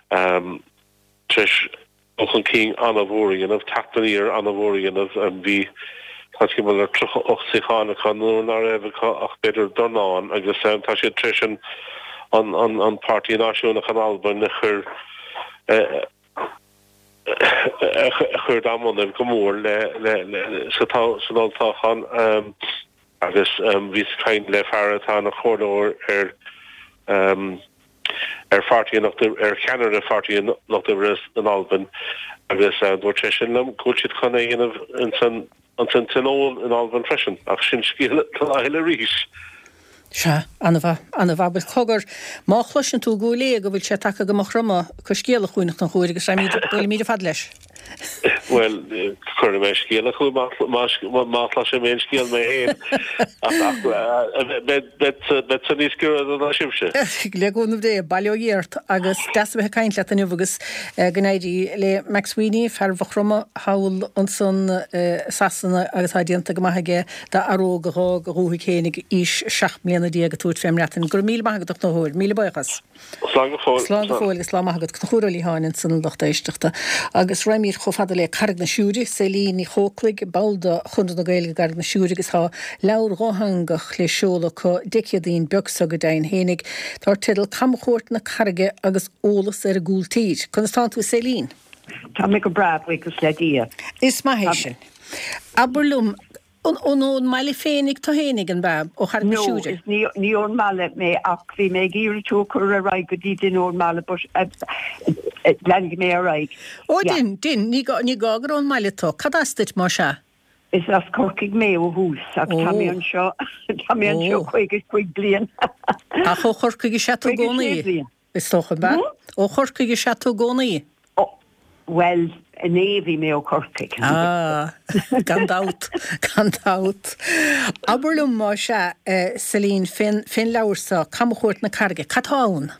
tar éis dul chun cinn an-mhór a dhéanamh, teacht aniar an-mhór a dhéanamh. Bhí tá timpeall ar tríocha ocht suíochán acu nuair ná raibh acu ach b'fhéidir dornán agus tá siad tar éis an an an an Páirtí Náisiúnach in Albain a chur a chur dá mbonnaibh go mór le le le sa san olltoghchán agus bhíos ag caint le fear atá ina chomhairleoir ar ar Pháirtí an Lucht ar cheannaire Pháirtí an Lucht Oibre in Albain agus dúirt sé sin liom go bhfuil siad chun é a dhéanamh insan insan Tionól in Albain freisin ach sin scéal do lá eile arís. Sea, an-mhaith, an-mhaith. Bhuel, cogar, má chloiseann tú i gCúil Aodha go bhfuil sé tagtha go Maigh Chromtha, cuir scéala chugainn a Chonchúir agus raghaimid, buailfimid ar fad leis. Bhuel, cuirfidh mé scéala chugat má chloisim aon scéal mé féin, ach beidh san níos giorra ná sibhse. Le cúnamh Dé, bail ó Dhia ort agus deas a bheith ag caint leat inniu agus go n-éirí le McSweeney, fear Mhaigh Chromtha thall ansan i Sasana agus tá déanta go maith aige d'fhear óg a dh'fhág a dhúthaigh féin ag aois seacht mbliana déag ag tabhairt fén mBreatain. Go raibh míle maith agat a Chonchúir, míle buíochas. Slán go fóill. Slán go fóill agus lá maith agat. Conchúr Ó Liatháin ansan a lucht éisteachta. Agus raghaimid chomh fada le Carraig na Siúire, Céline Ní Chóclaigh, ball de Chonradh na Gaeilge i gCarraig na Siúire agus tá leabhar dhátheangach le seoladh acu Dé Céadaoin beag seo go deimhin fhéinig, dar teideal Camchuairt na Carraige agus Eolas ar an gCúltír. Conas tánn tú a Céline? Tá mé go breá, buíochas le Dia. Is maith é sin. Abair liom, an ón mbaile féinig tú fhéinig, an b'ea, ó Charraig na No, Siúire? is ní ní ón mbaile mé ach bhí mé ag iarraidh tú a chur ar aghaidh go dtí duine ón mbaile but leanfaidh mé ar aghaidh. Ó Yeah. dein, dein, ní gá ní gá gur ón mbaile tú. Cad as duit más ea? Is as Corcaigh mé ó thús ach tá mé Ó. anseo tá mé anseo Ó. caoga cúig bliain. Ach ó Chorcaigh is ea tú i Caoga sé gcónaí? bliain. Is dócha, an b'ea? Hmm? Ó Chorcaigh is ea tú i gcónaí? Ó, bhuel, inné bhí mé ó Chorcaigh. Ah, gan dabht, gan dabht. Abair liom más ea, eh, Celine, fén fén leabhar seo, Camchuairt na Carraige, cad tá ann?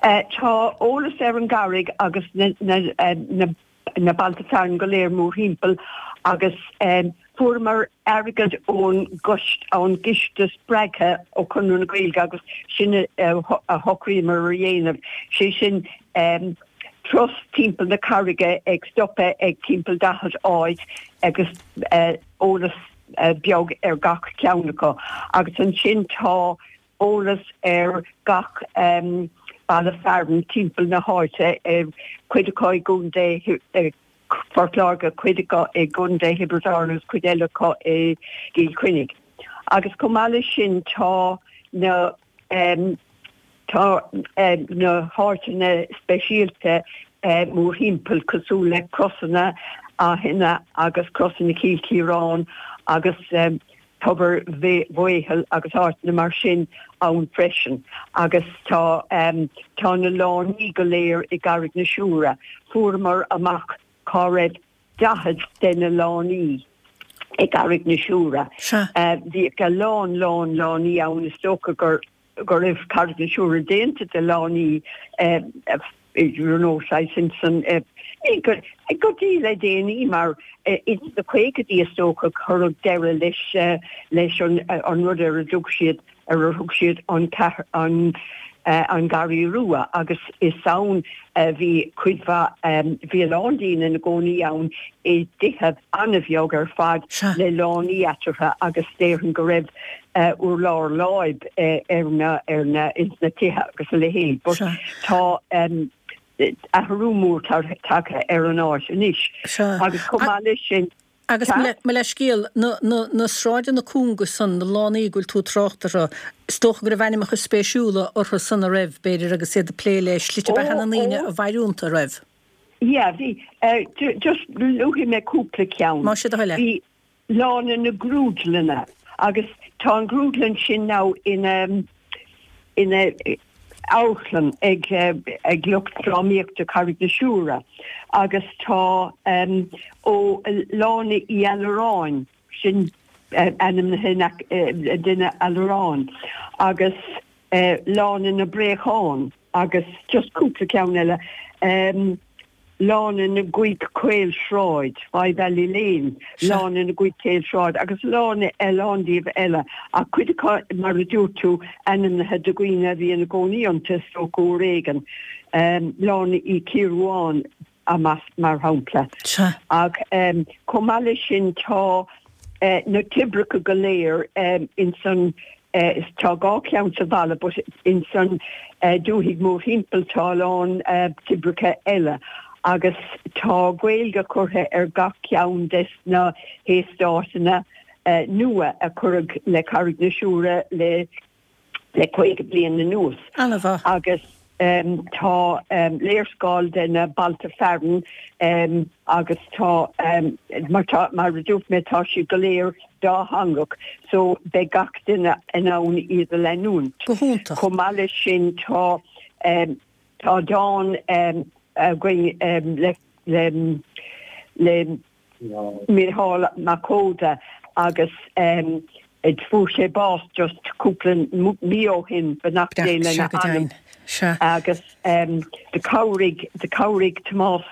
Eh, tá eolas ar an gCarraig agus na, na, eh, na, na bailte fearainn go léir mórthimpeall agus um, fuaireamar airgead ón gcoiste ón gciste spreagtha ó Chonradh na Gaeilge agus sin a, a shocraíomar a dhéanamh. Sé sin um, turas timpeall na Carraige ag stopadh ag timpeall daichead áit agus uh, eolas uh, beag ar gach ceann acu. Agus ansin tá eolas ar gach um, baile fearainn timpeall na háite uh, cuid acu i gContae uh, Phort Láirge cuid acu i gContae Thiobraid Árann agus cuid eile acu i gCill Chainnigh. Agus chomh maith leis sin tá na um, tá um, na háiteanna speisialta uh, mórthimpeall cosúil le Crosanna Fhaiche agus Crosanna Chill Chiaráin agus um, Tobar Mhaothail agus áiteanna mar sin ann freisin agus tá um, tá na lánaí go léir i gCarraig na Siúire fuaireamar amach cá raibh daichead de na lánaí i gCarraig na Siúire. Sea. Uh, Bhí a lán lán lánaí ann is dócha gur go raibh Carraig na Siúire déanta de lánaí uh, nó sin san go go dtí le déanaí mar ins na caogaidí is dócha cuireadh deireadh leis leis an an rud ar a dtug siad ar a thug siad an an an Garraí Rua agus is ann bhí cuid mhaith bhí a lán daoine ina gcónaí ann i dtithe an-bheag ar fad le lánaí eatarthu agus déarfainn go raibh urlár láib ar na ar na ins na tithe agus a leithéid. But tá um, athrú mór tagtha ar an áit anois. Agus chomh maith leis sin Agus mo leithscéal na, na, na sráideanna cúnga san na lánaí go bhfuil tú ag trácht orthu, is dócha go raibh ainmneacha spéisiúla orthu san a raibh b'fhéidir agus iad ag plé le slite beatha na ndaoine a mhair iontu raibh. Yeah, bhí uh, just luafaidh mé cúpla ceann. Más é do thoil é. Bhí Lána na Grúdlanna agus tá an grúdlann sin now ina ina amharclann ag ag lucht drámaíochta Carraig na Siúire agus tá um, ó Lána Uí Allaráin sin uh, ainmnithe uh, duine Allaráin agus uh, Lána na Bréachán agus just cúpla ceann eile um, Lána na gCúig Caolsráid, Five Alley Lane, Lána na gCúig Caolsráid, agus lána lán díobh eile a cuid mar a dúirt tú ainmnithe de dhaoine a bhí ina gcónaí iontu is dócha uair éigin. Um, Lána Uí Chiaráin amach mar shampla. Ach um, chomh maith leis sin tá uh, na toibreacha go léir um, in san uh, tá dhá cheann sa bhaile, but in san uh, dúthaigh mórthimpeall tá a lán uh, toibreacha eile. agus tá Gaeilge curtha ar gach ceann des na heastátanna uh, nua a cuireadh le Carraig na Siúire le le caoga bliain anuas. Agus um, tá um, léarscáil de na bailte fearainn um, agus tá um, mar tá mar a dúirt mé tá siad go léir dátheangach, so beidh gach duine in ann iad a leanúint. Go hiontach. Chomh maith leis sin tá um, tá dán um, againn um, le le le Micheál Mac Coda agus um, fuair sé bás just cúpla mí ó shin beannacht Dé lena anam. Agus um, do chabhraigh do chabhraigh Tomás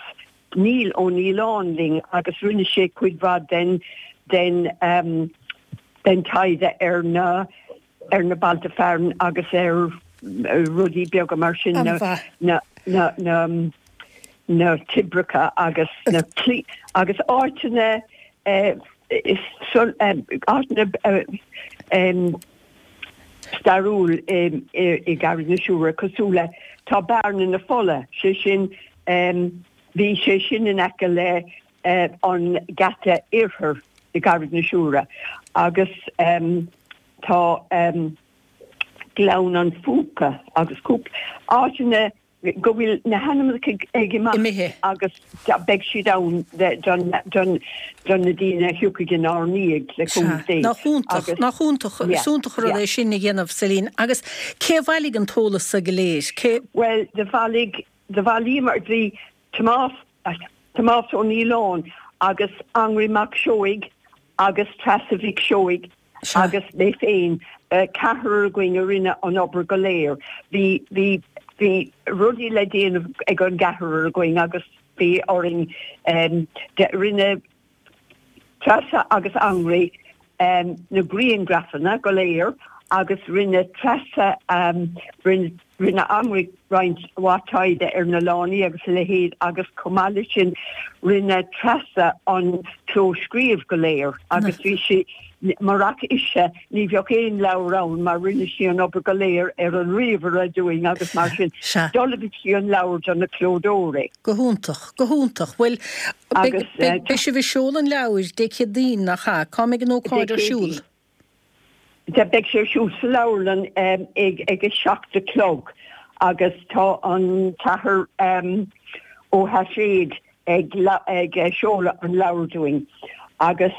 Níl Ó Níoláin linn agus rinne sé cuid mhaith den den um, den taighde ar na ar na bailte fearainn agus ar rudaí beaga mar sin na na na na na toibreacha agus na clí agus áiteanna eh, áiteanna eh, stairiúil i gCarraig na Siúire cosúil le tá Bearna na Fola sé sin bhí sé sin in aice le an geata oirthir i gCarraig na Siúire agus tá Gleann an Phúca agus cúpla áiteanna go bhfuil na hainmneacha ag imeacht agus beidh siad ann don na daoine a thiocfaidh inár ndiaidh le cúnamh Dé. Nach iontach, nach iontach, is iontach an rud é sin a dhéanamh, Céline. Agus cé a bhailigh an t-eolas so go léir? Cé. Bhuel, do bhailigh, do bhailíomar, bhí Tomás, Tomás Ó Nialláin agus Anraí Mac Seoighe agus Treasa Mhic Seoighe agus mé féin, ceathrar againn a rinne an obair go léir. Bhí, bhí, bhí rudaí le déanamh ag an gceathrar againn agus bhí orainn, rinne Treasa agus Anraí na grianghrafanna go léir agus rinne Treasa, rinne, Rinne Anraí roinnt mhaith taighde ar na lánaí agus a leithéid agus chomh maith leis sin rinne Treasa an clóscríobh go léir agus bhí sí, murach ise ní bheadh aon leabhar ann mar rinne sí an obair go léir ar an ríomhaire dúinn agus mar sin d'ullmhaigh sí an leabhar do na clódóirí. Go hiontach, go hiontach. Bhuel, beidh sibh ag seoladh an leabhair Dé Céadaoin, nach ea? Cá mbeidh an ócáid ar siúl? Beidh sé ar siúl sa leabharlann ag a seacht a chlog agus tá an tAthair Ó hAiséid ag seoladh an leabhair dúinn. Agus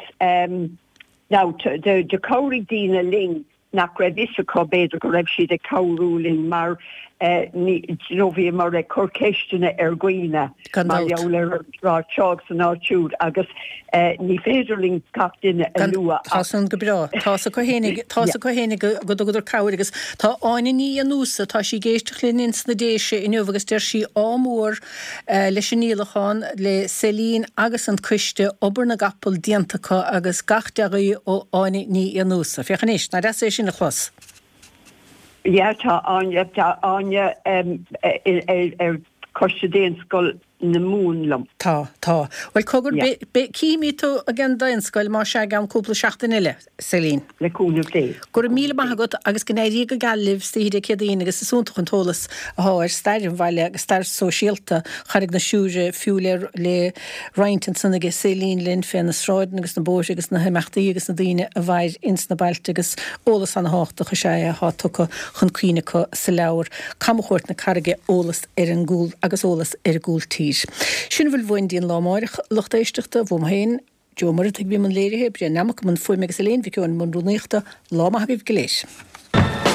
now do chabhraigh daoine linn nach raibh fhios acu b'fhéidir go raibh siad ag cabhrú linn mar you know bhíomar ag cur ceisteanna ar dhaoine mar gheall ar an áit seo agus an áit siúd agus ní féidir linn gach duine a lua ach. Tá san go breá. Tá's acu fhéinig, tá's acu fhéinig go dtugadar cabhair agus tá Áine Ní Fhiannúsa, tá sí ag éisteacht linn ins na Déise inniu agus deir sí ádh mór leis an ndíolachán, le Céline agus an coiste, obair na gcapall déanta acu agus gach dea-ghuí ó Áine Ní Fhiannúsa. Féach anois, nach deas é sin a chlos. Yeah, tá Áine, tá Áine ar choiste Daonscoil na Mumhan liom. Tá, tá. Bhuel, cogar, cífimid tú ag an Daonscoil, más ea, i gceann cúpla seachtain eile, Céline. Le cúnamh Dé. Go raibh míle maith agat agus go n-éirí go geal libh istoíche Dé Céadaoin agus is iontach an t-eolas atá ar stair an bhaile agus stair sóisialta Charraig na Siúire fiú le le roinnt ansan aige Céline linn fé na sráideanna agus na bóithre agus na himeachtaí agus na daoine a mhair ins na bailte agus eolas ana-thábhachtach is ea é atá tugtha chun cuimhne acu sa leabhar Camchuairt na Carraige, Eolas ar an gcúl agus eolas ar an gcúltír. Sin a bhfuil uainn dtí an lá amáireach, a lucht éisteachta, uaim féin, Joe Ó Muireadhaigh a bhí i mbun léirithe, Brian Nammock i mbun fuaime agus Elaine Mhic Eoin i mbun rúnaíochta. Lá maith agaibh go léir.